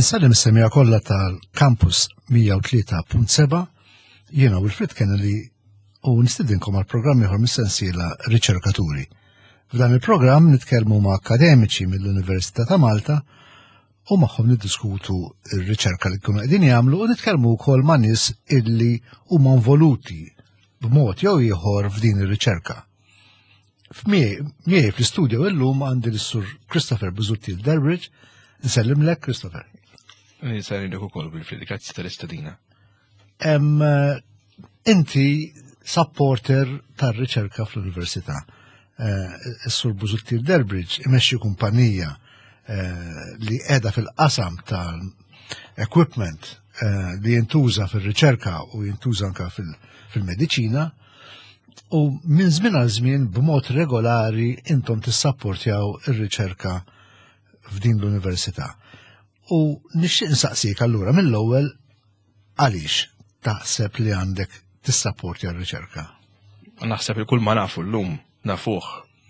Insellem is-semija kollha tal-Campus 103.7 jiena Wilfred Kennedy u nistidinkom għal programm ieħor mis-sensiela Riċerkaturi. F'dan il-programm nitkellmu ma' akademiċi mill-Università ta' Malta u magħhom niddiskutu r-riċerka li jkunu qegħdin jagħmlu u nitkellmu wkoll ma' nies illi huma involuti b'mod jew ieħor f'din ir-riċerka. Miegħi fl-istudio illum għandi l-Sur Christopher Busuttil Derbridge. Nsellimlek, Christopher. Nsellimlek ukoll Wilfried, grazzi tal-istedina. Inti supporter tar-riċerka fl-università. Eh, is-Sur Busuttil Derbridge imexxi kumpanija eh, li qiegħda fil-qasam tal-equipment eh, li jintuża fil-riċerka u jintuża anka fil-mediċina u minn żmien għal żmien b'mod regolari intom tissapportjaw ir-riċerka f'din l-università. U nixtieq insaqsik allura mill-ewwel għaliex taħseb li għandek tissapportja r-riċerka? Naħseb li kull ma nafu llum nafuh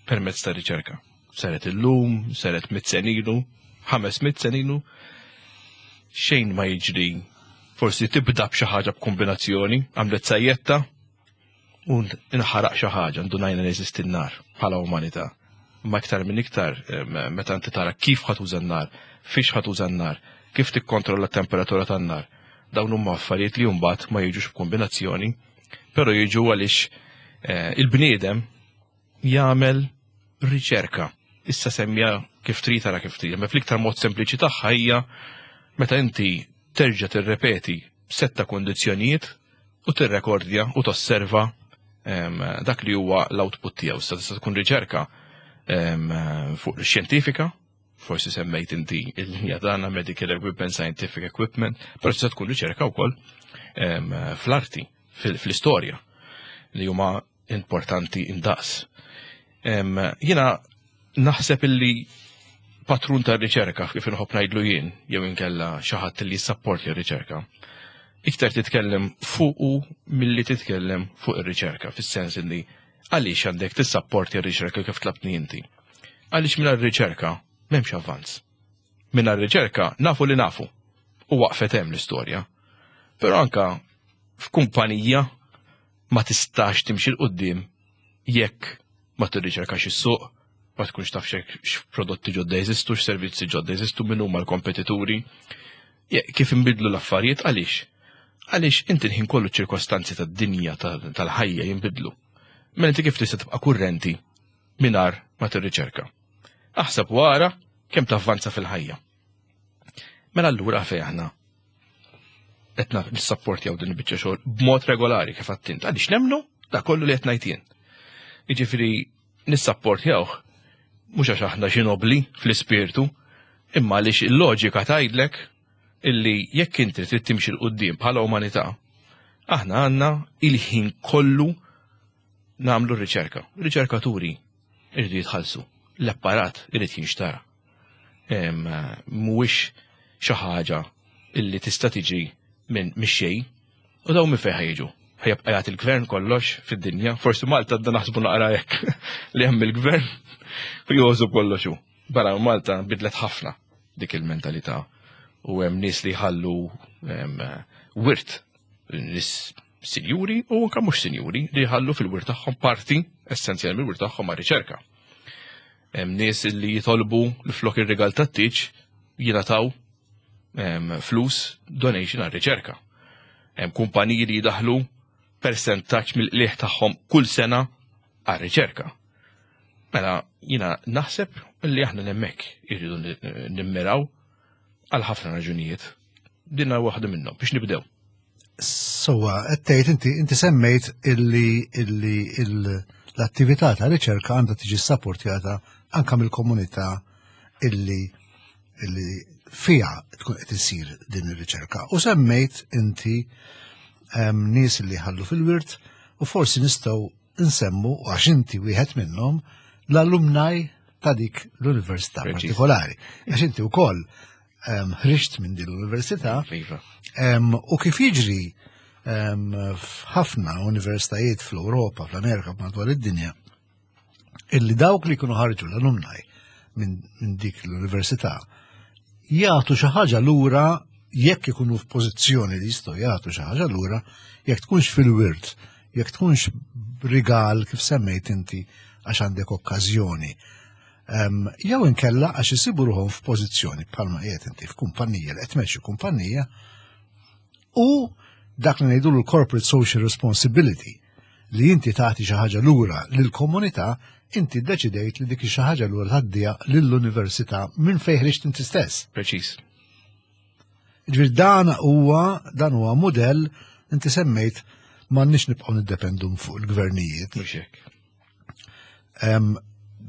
permezz ta' riċerka. Saret illum, saret mit senilu, 500 senilu, xejn ma jiġri forsi tibda b'xi ħaġa b'kombinazzjoni, għamlet sajjetta u nħaraq xi ħaġa, ndunajna li jeżisti n-nar bħala umanità. Ma iktar minn iktar meta inti tara kif ħa tuża n-nar, fiex ħa tuża n-nar, kif tikkontrolla t-temperatura tan-nar. Dawn huma affarijiet li mbagħad ma jiġux b'kombinazzjoni, però jiġu għaliex eh, il-bniedem jagħmel riċerka. Issa semmija kif trid tara kif trid, ma fl-iktar mod sempliċi tagħha hija meta inti terġa' tirrepeti setta kondizzjonijiet u tirrekordja u tosserva dak li huwa l-output tiegħu. Issa tista' tkun riċerka fuq xjentifika, forsi semmejt inti il-linja tagħna medical equipment, scientific equipment, però tista' tkun riċerka wkoll fl-arti, fl-istorja li huma importanti indaqs. Jiena naħseb illi patrun ta' riċerka kif inħobb ngħidlu jien jew inkella xi ħadd li jissapporti r-riċerka. Iktar titkellem fuqu milli titkellem fuq ir-riċerka, fis-sens li għaliex għandek tissapporti r-riċerka kif tlabtni inti. Għaliex mingħajr riċerka m'hemmx avvanz. Mingħajr riċerka nafu li nafu u waqfet hemm l-istorja. Però anka f'kumpanija ma tistax timxi 'l quddiem jekk ma tirriċerkax is-suq, ma tkunx taf x'prodotti ġodda jeżistu, x'servizzi ġodda jeżistu, min huma l-kompetituri, kif inbidlu l-affarijiet għaliex. Għaliex inti l-ħin kollu ċirkostanzi tad-dinja tal-ħajja jinbidlu. Mela inti kif tista' tibqa' kurrenti mingħajr ma tirriċerka. Aħseb wara kemm tavvanza fil-ħajja. Mela allura fejn aħna qed nissapportjaw din il-biċċa xogħol b'mod regolari kif għattint. Għaliex nemmnu da kollu li qed ngħid jien. Jiġifieri nissapportjawh mhux għax aħna xi nobli fl-ispirtu, imma għaliex il-loġika tgħidlek illi jekk inti trid timxi 'l quddiem bħala umanità, aħna għandna il-ħin kollu nagħmlu r-riċerka. Riċerkaturi irridu jitħallsu, l-apparat irid jinxtara. Mhuwiex xi ħaġa illi tista' tiġi minn mix-xejn u dawn minn fejn ħajġu. Ħajabqa' jagħti l-gvern kollox fid-dinja, forsi Malta għadna naħsbu naqra hekk li hemm il-gvern u jożu kollox hu. Barra Malta bidlet ħafna dik il-mentalità u hemm nies li jħallu wirt nies sinjuri u anke mhux sinjuri li jħallu fil-wirt tagħhom parti essenzjali mill-wirt tagħhom ma' riċerka. Hemm nies li jitolbu li flok ir-rigal tat-tieġ jingħataw flus donation għar riċerka. Hemm kumpaniji li jidaħlu persentaġġ mill-qliħ tagħhom kull sena għar riċerka. Mela jiena naħseb li aħna nemmek irridu nimmiraw għal ħafna raġunijiet. Dinna waħda minnhom biex nibdew. Sowa, qed tgħid inti inti semmejt illi illi l-attività ta' riċerka għandha tiġi sapportjata anka mill-komunità illi illi fiha tkun qed isir din ir-riċerka. U semmejt inti nies li ħallu fil-wirt u forsi nistgħu nsemmu għax inti wieħed minnhom l-alumni ta' dik l-università partikolari. Għax inti wkoll ħriġt minn din l-università iva. u kif jiġri f'ħafna universitajiet fl-Ewropa, fl-Amerika, madwar id-dinja, illi dawk li jkunu ħarġu l-alumni minn dik l-università jagħtu xi ħaġa lura jekk ikunu f'pożizzjoni li jistgħu jagħtu xi ħaġa lura, jekk tkunx fil-wirt, jekk tkunx rigal kif semmejt inti għax għandek okkażjoni. Jew inkella għax isibu ruħhom f'pożizzjoni bħalma qiegħed inti f'kumpanija li qed tmexxi kumpanija u dak li ngħidu l-corporate social responsibility li inti tagħti xi ħaġa lura lill-komunità, inti ddeċidejt li dik xi ħaġa lura tgħaddiha lill-università minn fejn ħriġt inti stess. Preċiż. Ġifieri dan huwa mudell inti semmejt, m'għandniex nibqgħu niddependu fuq il-gvernijiet. Mhux hekk.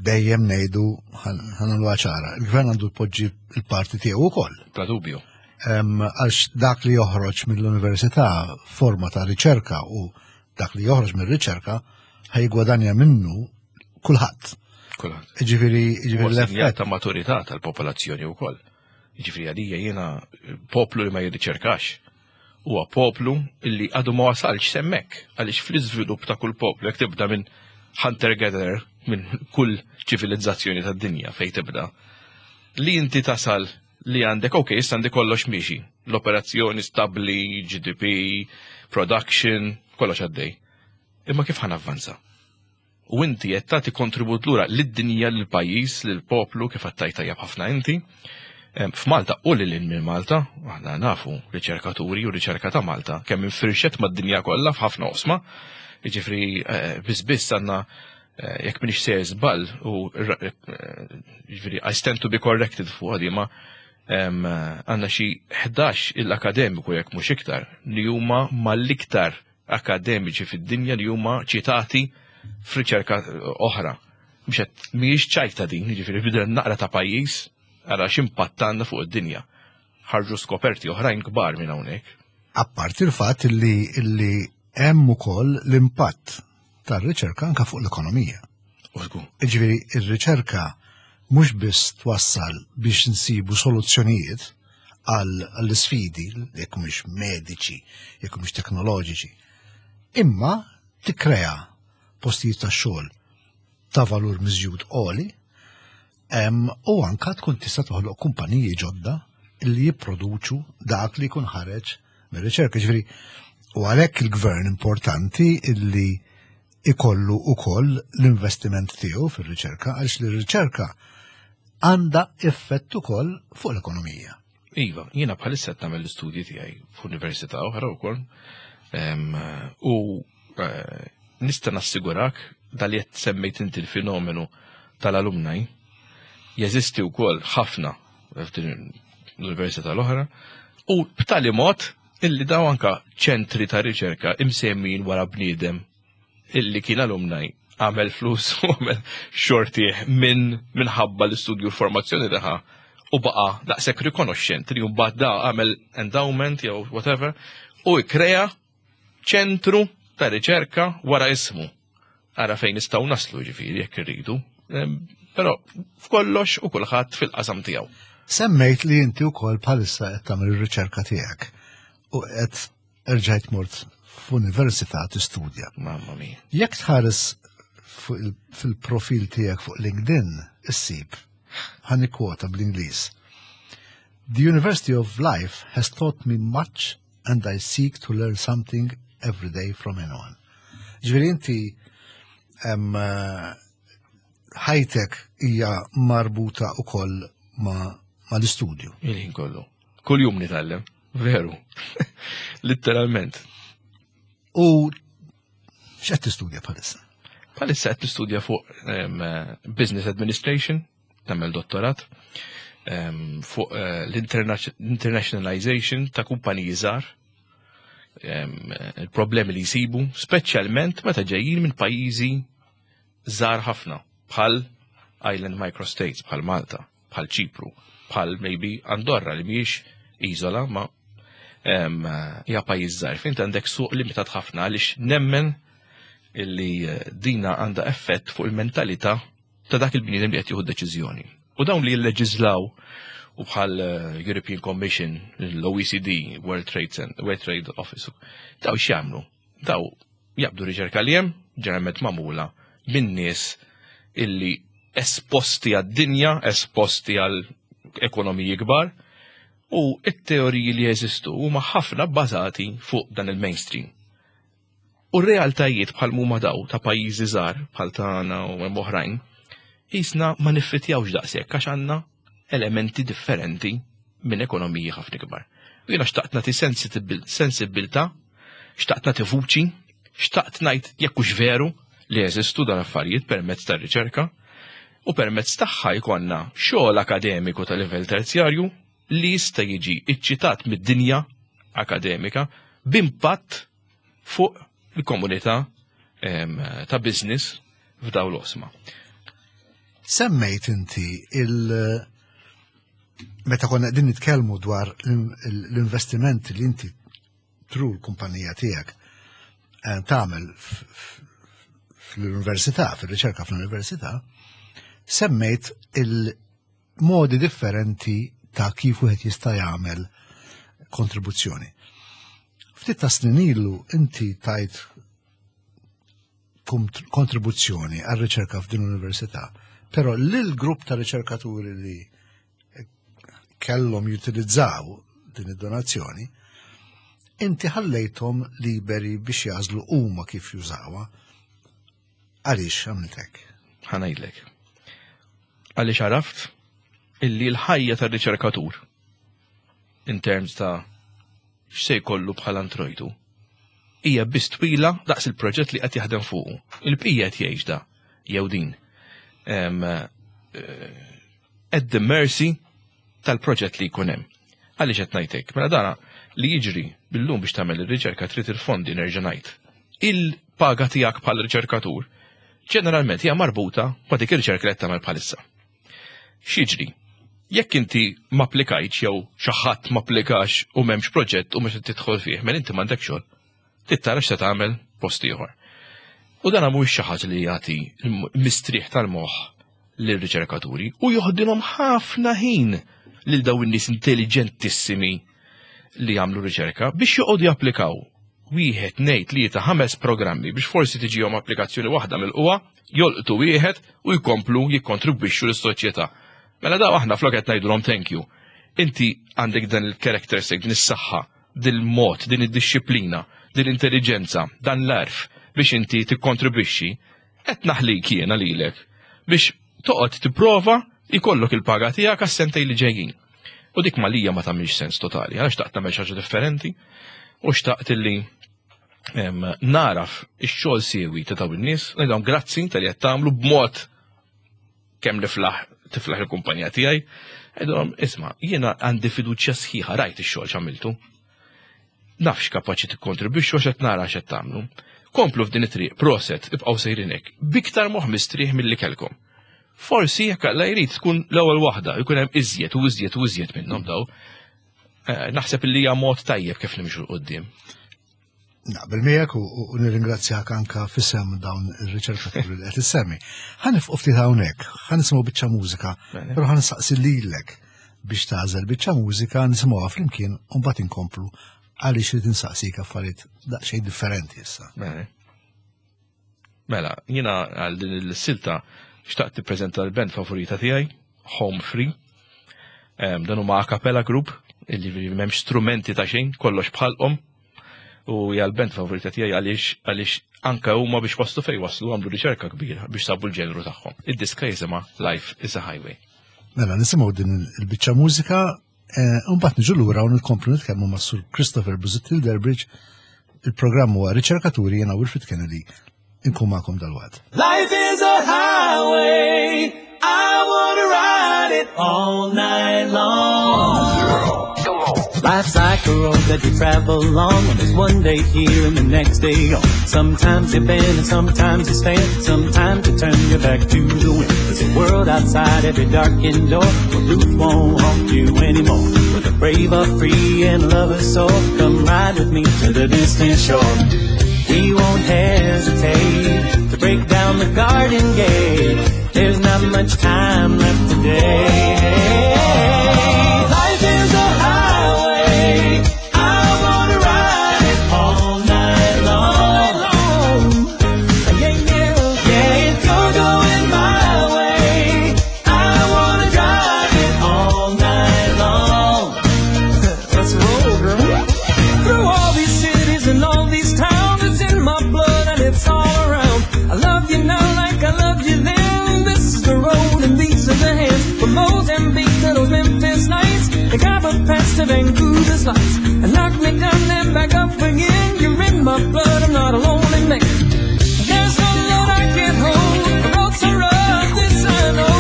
Dejjem ngħidu, ħa nagħmluha ċara, il-gvern għandu jpoġġi il-parti tiegħu wkoll. Bla dubju. Għax dak li joħroġ mill-università forma ta' riċerka u dak li joħroġ mill-riċerka ħa jiggwadanja minnu kulħadd. Kulħadd. Ġifieri Huwa sinjal l-effett. Ta' maturità tal-popolazzjoni wkoll. Ġifieri għalija jiena poplu li ma jirriċerkax huwa poplu illi għadu ma wasalx s'hemmhekk, għaliex fl-iżvilupp ta' kull poplu, jekk tibda minn hunter-gatherer, minn kull ċivilizzazzjoni tad-dinja fejn tibda, li inti tasal li għandek, ok, issa għandi kollox miexi, l-operazzjoni stabli, GDP, production, kollox għaddej. Imma kif ħa navvanza? U inti qed tagħti kontribut lura lid-dinja, lill-pajjiż, lill-poplu, kif għedt tajjeb ħafna inti. F'Malta u lil minn Malta, aħna nafu riċerkaturi u riċerka ta' Malta kemm infirxet mad-dinja kollha f'ħafna oqsma. Jiġifieri biss biss għandna jekk m'iniex sejjer żball u jiġifieri I stand to be corrected fuq għadi, ma għandna xi 11 il-akademiku, jekk mhux iktar, li huma mal-iktar akademiċi fid-dinja li huma ċitati f'riċerka oħra. Mhux qed mhijiex ċajta din, jiġifieri bidel naqra ta' pajjiż, ara x'impatt għandna fuq id-dinja. Ħarġu skoperti oħrajn kbar minn hawnhekk. Apparti il-fatt illi hemm ukoll l-impatt tar-riċerka anka fuq l-ekonomija. U żgur. Ġifieri ir-riċerka mhux biss twassal biex nsibu soluzzjonijiet għall-sfidi, jekk mhux mediċi, jekk mhux teknoloġiċi, imma tikkrea postijiet ta' xogħol ta' valur miżjud għoli u anka tkun tista' toħloq kumpaniji ġodda li jipproduċu dak li jkun ħareġ mir-riċerka. Ġifieri, u għalhekk il-gvern importanti illi ikollu ukoll l-investiment tiegħu fir-riċerka, għaliex l-riċerka għandha effett ukoll fuq l-ekonomija. Iva, jiena bħalissa qed nagħmel l-istudji tiegħi f'università oħra wkoll. U nista' nassigurak dal qed semmejt inti, l-fenomenu tal-alumni jeżisti wkoll ħafna f'din l-università l-oħra u b'tali mod illi daw anka ċentri ta' riċerka imsemmin wara bniedem illi kien alumni, għamel flus u għamel xortih minn minħabba l-istudju, l-formazzjoni taħħa, u baqa daqshekk rikonoxxent li mbagħad da għamel endowment jew whatever u ikkrea ċentru ta' riċerka wara ismu. Ara fejn nistgħu naslu, ġifieri jekk irridu. Però f'kollox u kulħadd fil-qasam tiegħu. Semmejt li inti wkoll bħalissa qed tagħmel ir-riċerka tiegħek u qed erġajt mort f'università tistudja. Mamma mia. Jekk tħares fil-profil tiegħek fuq LinkedIn, issib, ħa nikkwota bl-Ingliż: "The University of Life has taught me much and I seek to learn something every day from anyone." Ġifieri inti ħajtek hija marbuta ukoll ma l-istudju. Il-ħin kollu. Kull jum nitgħallem, veru. Literalment. U x'qed tistudja bħalissa? Bħalissa qed nistudja fuq Business Administration, nagħmel dottorat, fuq l-internationalization ta' kumpaniji żgħar, il-problemi li jsibu, speċjalment meta ġejjin minn pajjiżi żgħar ħafna, bħal Island Microstates, bħal Malta, bħal Ċipru. bħal maybe Andorra li mhijiex iżola ma hija pajjiż żgħir. Fejn għandek suq limitat ħafna għaliex nemmen illi eh, dina għandha effett fuq il-mentalità ta' dak il-bniedem li qed jieħu deċiżjoni. U dawn li jilleġiżlaw u bħal eh, European Commission, l-OECD, World Trade Center, World Trade Office, daw x'jagħmlu? Daw jaqbdu riċerka li hemm, ġeneralment magħmula minn nies illi esposti għad-dinja, esposti għal ekonomiji kbar, u it-teoriji li jeżistu huma ħafna bbażati fuq dan il-mainstream. U r-realtajiet bħal mhuma daw ta' pajjiżi żgħar bħal tagħna u hemm oħrajn, qisna ma niffitjawx daqshekk għax għandna elementi differenti minn ekonomiji ħafna kbar. U jiena xtaqt nagħti sensibbiltà, xtaqt nagħti vuċi, xtaqt ngħid jekk hux veru li jeżistu dan affarijiet permezz tar-riċerka u permezz tagħha jkollna xogħol akademiku ta' livell terzjarju li jista' jiġi iċċitat mid-dinja akademika b'impatt fuq il-komunità ta' business f'daw l-osma. Semmejt inti il- meta konna qegħdin nitkellmu dwar l-investimenti li inti tru l-kumpanija tiegħek eh, tagħmel fl-università, fil-riċerka fl-università, semmejt il-modi differenti ta' kif wieħed jista' jagħmel kontribuzzjoni. Ftit ta' snin ilu inti tajt kontribuzzjoni għal riċerka f'din l-università, però lil grupp ta' riċerkaturi li kellhom jutilizzaw din id-donazzjoni, inti ħallejthom liberi biex jażlu huma kif jużawha. Għaliex għamilt hekk? Ħa ngħidlek. Għaliex għaraft illi l-ħajja tar-riċerkatur in terms ta' x'se jkollu bħala introjtu hija biss twila daqs il-proġett li qed jaħdem fuqu. Il-bqija qed jgħix da jew din. Eh, at the mercy tal-proġett li jkun hemm. Għaliex qed ngħid hekk? Mela dana li jiġri billum biex tagħmel ir-riċerka trid il-fondi nerġa' ngħid. Il-paga tiegħek bħal riċerkatur ġeneralment hija marbuta ma' dik ir-riċerka li qed tagħmel bħalissa. X'jiġri? Jekk inti ma applikajtx jew xi ħadd ma applikax u m'hemmx proġett u mhux qed tidħol fih, mela inti m'għandek xogħol. Trid tara x'se tagħmel post ieħor. U dan mhuwiex xi ħaġa li jagħti mistrieħ tal-moħħ lir-riċerkaturi u joħdilhom ħafna ħin lil daw in-nies intelligentissimi li jagħmlu riċerka biex joqogħdu japplikaw wieħed ngħid li ta' ħames programmi biex forsi tiġihom applikazzjoni waħda mill-qwa, jolqtu wieħed u jkomplu jikkontribwixxu lis-soċjetà. Mela daw aħna flok qed ngħidulhom thank you. Inti għandek dan il-characteristic, din is-saħħa, dil-mod, din id-dixxiplina, din l-intelligenza, dan l-arf biex inti tikkontribwixxi, qed naħlik jiena lilek biex toqgħod tipprova jkollok il-paga tiegħek għas-sentej li ġejjin. U dik malija ma tagħmilx sens totali, għax xtaqt tagħmel xi ħaġa differenti u xtaqt illi naraf ix-xogħol siewi ta' dawn in-nies, ngħidhom grazzi tal-li qed tagħmlu b'mod kemm niflaħ tiflaħ il-kumpanija tiegħi, għidhom isma' jiena għandi fiduċja sħiħa rajt ix-xogħol x'għamiltu. Nafx kapaċi tikkontribwixxu għax qed nara x'qed tagħmlu. Komplu f'din it-triq, proset, ibqgħu sejrin hekk, biktar moħħ mistrieħ milli kelkom. Forsi jekk Alla jrid tkun l-ewwel waħda, jkun hemm iżjed u iżjed u iżjed minnhom daw. Eh, naħseb li hija mod tajjeb kif nimxu l qudiem Naqbel miegħek u nirringrazzjak anka fisem dawn ir-riċerkaturi li qed issemmi. Ħa nifqu ftit hawnhekk, ħa nisimgħu biċċa mużika, però ħa nistaqsi lilek biex tagħżel biċċa mużika nisimgħuha flimkien u mbagħad inkomplu għaliex irid insaqsik affarijiet daqsxejn differenti issa. Mela, jiena għal din il-silta xtaqt tippreżenta l-band favorita tiegħi, Home Free. Dan huma a cappella group, illi m'hemmx strumenti ta' xejn, kollox bħalqhom. U hija l-band favorita tiegħi għaliex għaliex anke huma biex waslu fejn waslu għamlu riċerka kbira biex sabu l-ġenru tagħhom. Id-diska jisimha Life is a Highway. Mela nisimgħu din il-biċċa mużika eh, u mbagħad niġu lura u nkomplu nitkellmu ma' Sur Christopher Busuttil Derbridge. Il-programm huwa Riċerkaturi jiena Wilfred Kennedy inkun magħkom dalwaqt. Life is a highway, I wanna ride it all night long. Life's like a road that you travel along. There's one day here and the next day gone. Sometimes you bend and sometimes you stand. Sometimes you turn your back to the wind. There's a world outside every darkened door. The roof won't haunt you anymore. Where the brave are free and lovers soar. Come ride with me to the distant shore. We won't hesitate to break down the garden gate. There's not much time left today. Life is a highway. I wanna ride it all night long. Yeah, yeah, yeah. If you're going my way, I wanna drive it all night long. Let's roll, girl. Through all these cities and all these towns, it's in my blood and it's all around. I love you now like I loved you then. This is the road and these are the hands. From Mozambique to those Memphis nights, the Copper Pass to Vancouver's lights, and knock me down and back up again. You're in my blood, I'm not a lonely man. There's no load I can't hold. The road's so rough, this I know.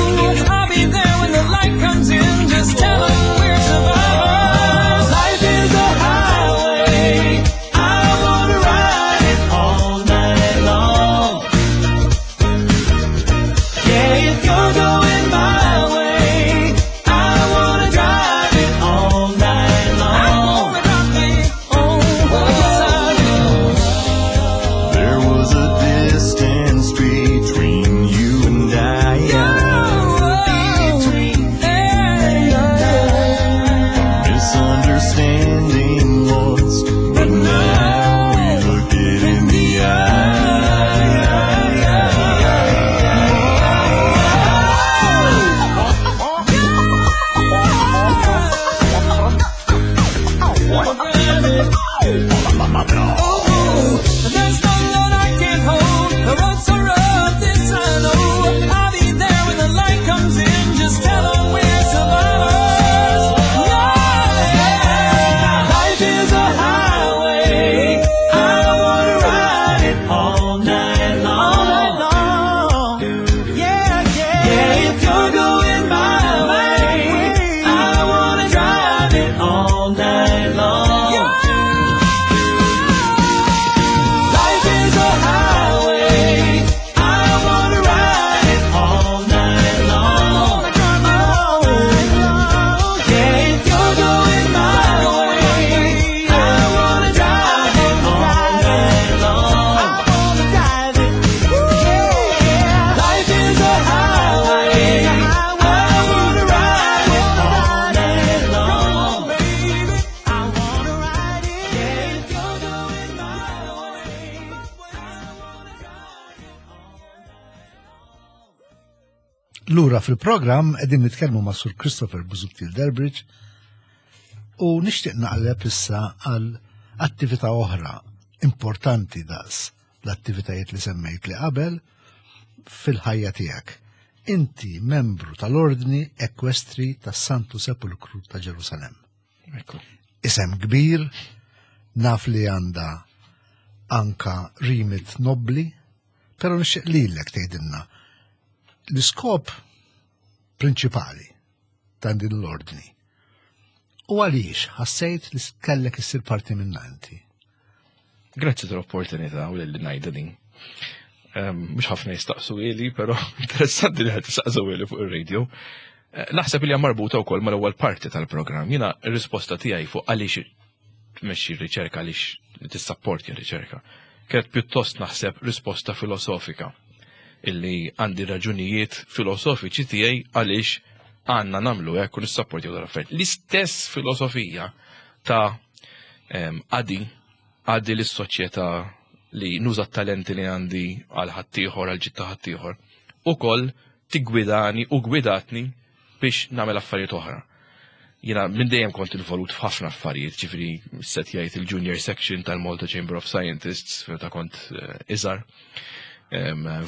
I'll be there when the light comes in. Just tell 'em we're survivors. Life is a highway. I wanna ride it all night long. Yeah, if you're going my way, I wanna drive it all night long. Oh, yes, I do. There was a distance between you and I. Misunderstanding once, but now we look it in the Oh, there's no load I can't hold. The road's so rough, this I know. I'll be there when the light comes in. Just tell 'em we're survivors. Yeah. Life is a highway. I wanna ride it all night long. Yeah, yeah. Yeah, if you're going my way, I wanna drive it all night long. Life is a highway. I wanna ride it all night long. Yeah, if you're going my way, I wanna drive it all night long. Life is a highway. I wanna ride it all night long. I wanna ride it. Yeah, if you're going my way, I wanna drive it all night long. Lura fil-programm qegħdin nitkellmu ma' Sur Christopher Busuttil Derbridge u nixtieq naqleb issa għal attività oħra importanti daqs l-attivitajiet li semmejt li qabel fil-ħajja tiegħek. Inti membru tal-Ordni Ekwestri tas-Santu Sepulkru ta' Ġerusalem. Ekku. Isem kbir, naf li għandha anka remit nobli, però nixtieq lilek tgħidilna l-iskop prinċipali ta' din l-ordni. U għaliex ħassejt li kellek issir parti minna inti? Grazzi tal-opportunità u li ngħidha din. Mhux ħafna jistaqsu ili, però interessanti li ħadd jistaqsu ili fuq ir-radio. Naħseb li hija marbuta wkoll mal-ewwel parti tal-programm. Jiena r-risposta tiegħi fuq għaliex tmexxi r-riċerka, għaliex tissapporti r-riċerka, kienet pjuttost naħseb risposta filosofika illi għandi raġunijiet filosofiċi tiegħi għaliex għandna nagħmlu hekk u nissapporti dawn l-affarijiet. L-istess filosofija ta' għadi lis-soċjetà li nuża t-talenti li għandi għal ħaddieħor, għal ġid ta' ħaddieħor, ukoll tiggwidani u gwidatni biex nagħmel affarijiet oħra. Jiena minn dejjem kont involut f'ħafna affarijiet, ġifieri set jgħid il-Junior Section tal-Malta Chamber of Scientists, meta kont iżgħar.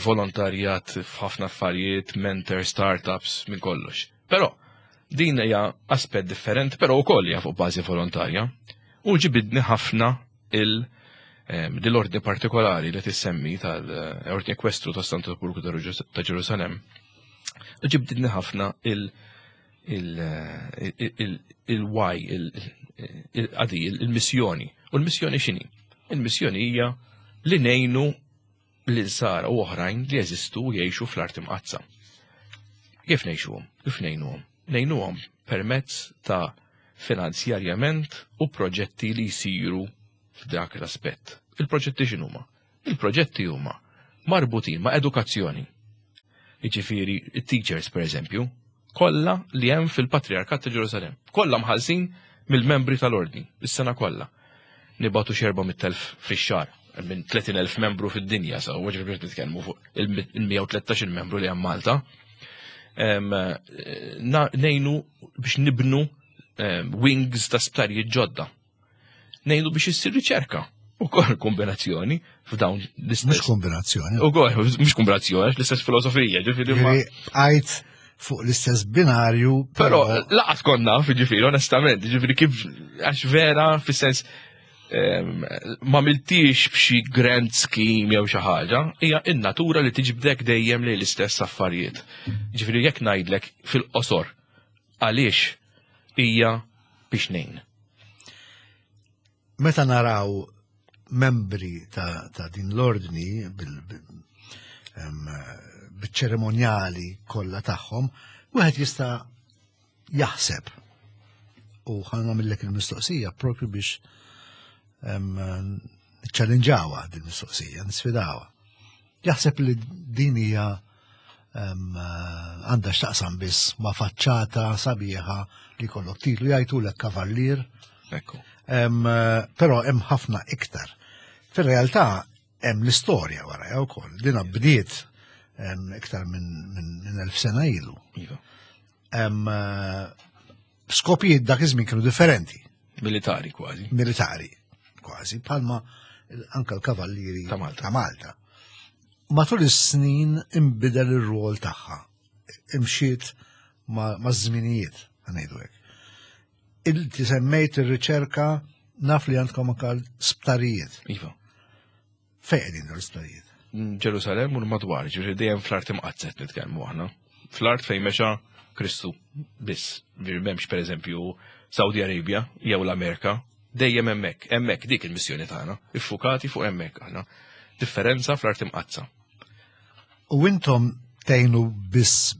Volontarjat f'ħafna affarijiet, mentor, startups, minn kollox. Però din hija aspett differenti, però wkoll hija fuq bażi volontarja. U ġibidni ħafna dil-ordni partikolari li tissemmi tal-Ordni Ekwestru ta' Santu Sepulkru ta' Ġerusalem. U ġibdidni ħafna il-why, Għadi, il-missjoni. U l-missjoni x'inhi? Il-missjoni hija li ngħinu l-insara u oħrajn li jeżistu u jgħixu fl-art imqaddsa. Kif ngħixuhom? Kif ngħinuhom? Ngħinuhom permezz ta' finanzjarjament u proġetti li jsiru f'dak l-aspett. Il-proġetti x'inhuma? Il-proġetti huma marbutin ma' edukazzjoni. Jiġifieri it-teachers pereżempju, kollha li hemm fil-Patriarkat ta' Ġerusalemm, kollha mħallsin mill-membri tal-ordni, is-sena kollha. Nibatu xi 400,000 fix-xahar minn 30,000 membru fid-dinja, sa ġifieri biex nitkellmu fuq il-113 membru li hemm Malta. Ngħinu biex nibnu wings ta' sptarijiet ġodda. Ngħinu biex issir riċerka. U kol kombinazzjoni f'dawn l-istess. Mhux kombinazzjoni. U kol, mhux kombinazzjoni, l-istess filosofija, ġifieri. Għajt fuq l-istess binarju. Però laqas konna, ġifieri, onestament, ġifieri kif għax vera, fis-sens ma miltix b'xi grand scheme jew xi ħaġa, hija in-natura li tiġbdek dejjem lejn l-istess affarijiet. Ġifieri jekk ngħidlek fil-qosor għaliex hija biex ngħin. Meta naraw membri ta', ta din l-ordni bil-ċerimonjali kollha tagħhom, wieħed jista' jaħseb u ħa nagħmillek il-mistoqsija propju biex niċċallinġawha din mistoqsija, nisfidawha. Jaħseb li din hija għandha x'taqsam biss ma' faċċata sabiħa li kollok titlu jgħidulek kavallier. Ekku. Però hemm ħafna iktar. Fir-realtà hemm l-istorja wara wkoll. Dina bdiet iktar minn 1000 sena ilu. Iva. Skopijiet dak iż-żmien kienu differenti. Militari kważi. Militari kważi, palma anka l-kavallieri ta' Malta. Ta' Malta. Matul is-snin imbidel ir-rol tagħha. Imxiet ma' żminijiet, ngħidu hekk. Inti semmejt ir-riċerka naf li għandkom anka sptarijiet. Iva. Fejn qegħdin dawn l-isptarijiet? Ġerusalem u l-madwar, ġifieri dejjem fl-art imqaddset nitkellmu aħna. Fl-art fejn mexa Kristu biss. Ġifieri m'hemmx pereżempju Saudi Arabia jew l-Amerika, dejjem hemmhekk, hemmhekk dik il-missjoni tagħna, iffukati fuq hemmhekk aħna. Differenza fl-art imqaddsa. U intom tgħinu biss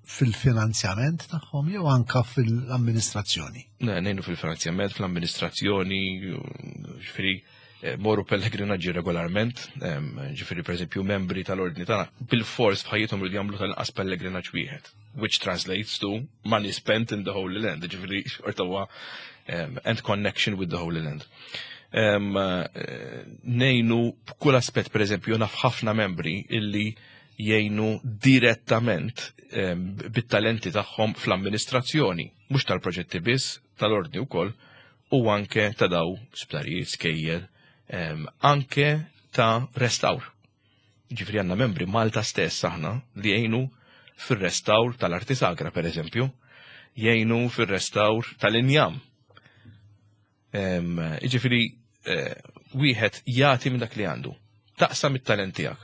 fil-finanzjament tagħhom jew anka fil-amministrazzjoni? Ne, ngħinu fil-finanzjament, fl-amministrazzjoni, ġifieri eh, morru pellegrinaġġi regolarment, ġifieri pereżempju membri tal-ordni tagħna bil-fors f'ħajjithom jridu jagħmlu tal-inqas pellegrinaġġ wieħed, which translates to money spent in the Holy Land, ġifieri xorta huwa and connection with the Holy Land. Eh, ngħinu b'kull aspett, pereżempju, naf ħafna membri illi jgħinu direttament bit-talenti tagħhom fl-amministrazzjoni, mhux tal-proġetti biss, tal-ordni wkoll, u anke ta' daw sptarijiet, skejjel, anke ta' restawr. Ġifri għandna membri Malta stess aħna li jgħinu fir-restawr tal-arti sagra, per eżempju, jgħinu fir-restawr tal-injam. Ġifiri, eh, wieħed jagħti minn dak li għandu. Taqsam it-talent tiegħek.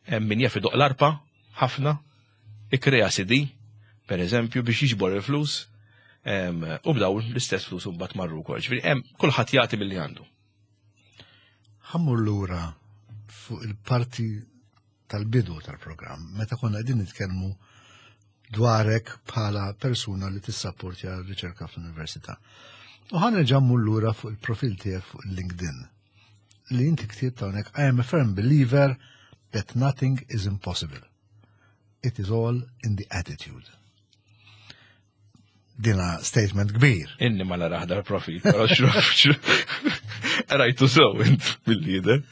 Hemm min jaf idoq l-arpa ħafna, ikkrea CD, per eżempju, biex jiġbor il-flus, u b'daw l-istess flus mbagħad marru wkoll. Ġifieri hemm kulħadd jagħti milli għandu. Ħammur lura fuq il-parti tal-bidu tal-programm, meta konna qegħdin nitkellmu dwarek bħala persuna li tissapportja r-riċerka fl-università. U ħa nerġa' mmur lura fuq il-profil tiegħek fuq il-LinkedIn li inti ktibt hawnhekk I am a firm believer that nothing is impossible. It is all in the attitude. Dina statement kbir. Inni ma naraħ dal-profil, però xruf, rajtu sew int mill-lider.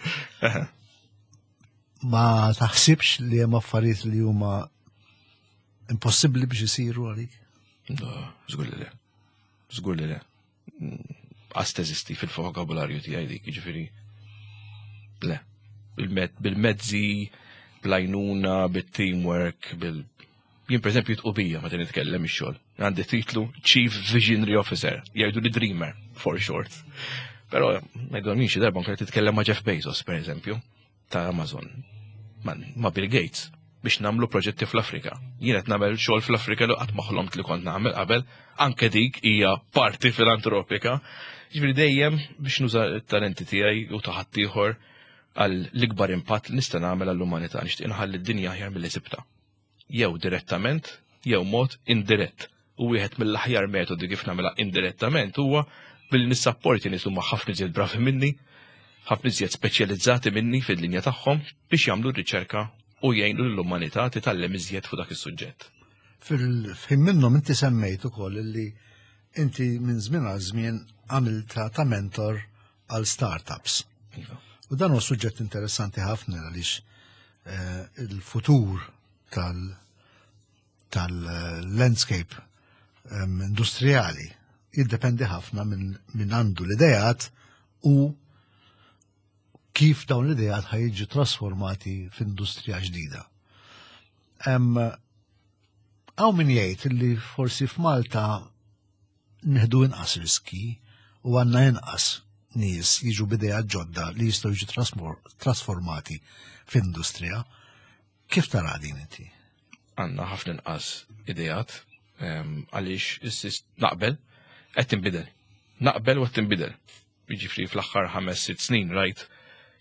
Ma taħsibx li hemm affarijiet li huma impossibbli biex isiru għalik? No, żgur li le. Żgur li le. Qas teżisti fil-vokabularju tiegħi dik, jiġifieri. Le. Bil-mezzi, bl-għajnuna, bit-teamwork, bil Jien per eżempju jitqubija meta nitkellem ix-xogħol. Għandi titlu Chief Visionary Officer, jgħidu li Dreamer for short. Però ngħidu xi darba nkun titkellem ma' Jeff Bezos per eżempju ta' Amazon, ma' Bill Gates. biex nagħmlu proġetti fl-Afrika. Jien qed nagħmel xogħol fl-Afrika li qatt ma ħlomt li kont nagħmel qabel, anke dik hija parti filantropika. Ġifieri dejjem biex nuża t-talenti tiegħi u ta' ħaddieħor għal l-ikbar impatt li nista' nagħmel għall-umanità, nixtieq inħalli d-dinja aħjar milli sibta. Jew direttament, jew mod indirett. U wieħed mill-aħjar metodi kif nagħmilha indirettament huwa billi nissapporti nies huma ħafna iżjed bravi minni, ħafna iżjed speċjalizzati minni fil-linja tagħhom biex jagħmlu r-riċerka u jgħinu lill-umanità titgħallem iżjed fuq dak is-suġġett. Fil-ħin minnhom inti semmejt ukoll li inti minn żmien għal żmien għamilta ta' mentor għal startups. Iva. U dan huwa suġġett interessanti ħafna għaliex eh, il-futur tal- tal-landscape industrijali jiddependi ħafna minn għandu l-idejat u kif dawn l-idejat ħajġu trasformati f'industrija ġdida. Hawn min jgħid li forsi f'Malta nieħdu inqas riski u għandna inqas nies jiġu b'idejat ġodda li jistgħu jiġu trasformati f'industrija. Kif tara din inti? Għandna ħafna inqas idejat għaliex naqbel qed tinbidel. Naqbel u qed tinbidel. Jiġifieri fl-aħħar 5-6 snin rajt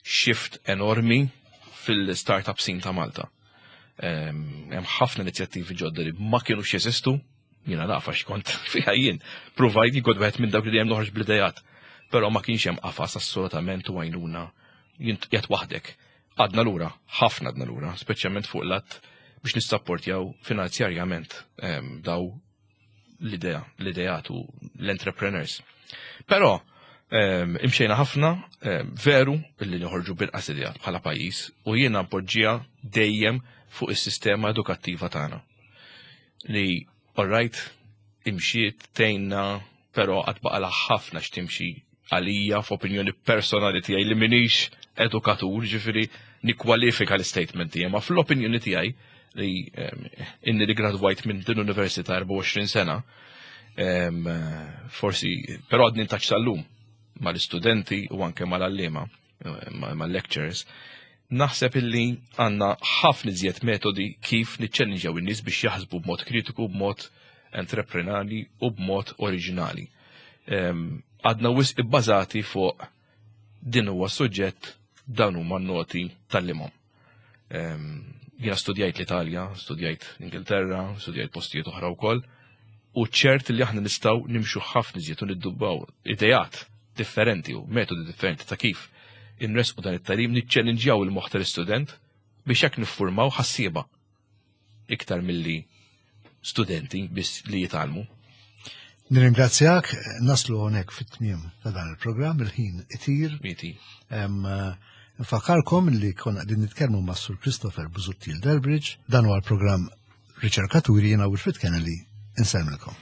shift enormi fil-startup scene ta' Malta. Hemm ħafna inizjattivi ġodda li ma kienux jeżistu, jiena naf għax kont fiha jien. Provajt jien kont wieħed minn dawk li dejjem noħroġ bl-idejat. Però ma kienx hemm qafas assolutament u għajnuna jien qiegħed waħdek. Għadna lura, ħafna għadna lura, speċjalment fuq l-att biex nissapportjaw finanzjarjament daw l-idea, l-ideat u l-entrepreneurs. Però imxejna ħafna, veru li noħorġu bil-qas ideat bħala pajjiż u jiena npoġġiha dejjem fuq is-sistema edukattiva tagħna. Li all right, imxiet tgħinna, però qatt baqalha ħafna x'timxi għalija f'opinjoni personali tiegħi li minix edukatur, ġifieri nikkwalifika l-statement tiegħi, ma fl-opinjoni tiegħi li inni li gradwajt minn din università 24 sena, forsi, però għadni ntaċ sal-lum mal-istudenti u anke mal-għalliema, mal-lecturers, naħseb illi għandna ħafna iżjed metodi kif niċċellinġjaw in-nies biex jaħsbu b'mod kritiku, b'mod entreprenali u b'mod oriġinali. Għadna wisq ibbażati fuq din huwa suġġett dan huma n-noti tal-limhom. Jiena studjajt l-Italja, studjajt l-Ingilterra, studjajt postijiet oħra wkoll, u ċert li aħna nistgħu nimxu ħafna iżjed u niddubbaw idejat differenti u metodi differenti ta' kif inresqu dan it-tagħlim niċċellinġjaw il-moħħ tal-istudent biex hekk niffurmaw ħassieba iktar milli studenti biss li jitgħallmu. Nirringrazzjak, naslu hawnhekk fit-tmiem ta' dan il-programm, il-ħin itir. Itir. Nfakkarkom li konna qegħdin nitkellmu ma' Sur Christopher Busuttil Delbridge, dan huwa l-programm Riċerkaturi jiena Wilfred Kennedy, insellmilkom.